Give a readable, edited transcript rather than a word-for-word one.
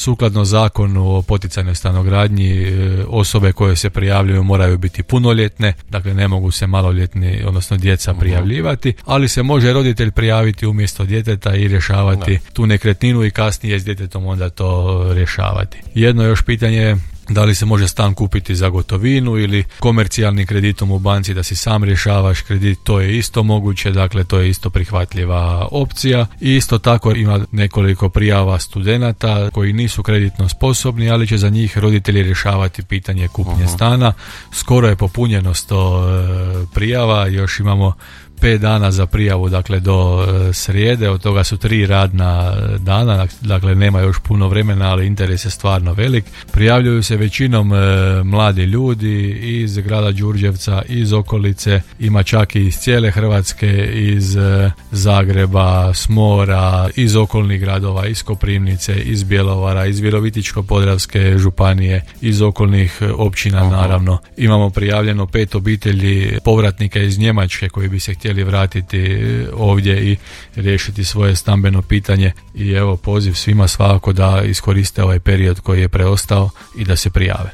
Sukladno zakonu o poticajnoj stanogradnji osobe koje se prijavljuju moraju biti punoljetne, dakle ne mogu se maloljetni, odnosno djeca prijavljivati, ali se može roditelj prijaviti umjesto djeteta i rješavati tu nekretninu i kasnije s djetetom onda to rješavati. Jedno još pitanje je da li se može stan kupiti za gotovinu ili komercijalnim kreditom u banci da si sam rješavaš kredit, to je isto moguće, dakle to je isto prihvatljiva opcija. I isto tako ima nekoliko prijava studenata koji nisu kreditno sposobni, ali će za njih roditelji rješavati pitanje kupnje stana. Skoro je popunjenost prijava, još imamo 5 dana za prijavu, dakle do srijede, od toga su 3 radna dana, dakle nema još puno vremena, ali interes je stvarno velik. Prijavljuju se većinom mladi ljudi iz grada Đurđevca, iz okolice, ima čak i iz cijele Hrvatske, iz Zagreba, s mora, iz okolnih gradova, iz Koprivnice, iz Bjelovara, iz Virovitičko-podravske županije, iz okolnih općina naravno. Imamo prijavljeno 5 obitelji povratnika iz Njemačke koji bi se htjeli vratiti ovdje i riješiti svoje stambeno pitanje i evo poziv svima svakako da iskoriste ovaj period koji je preostao i da se prijave.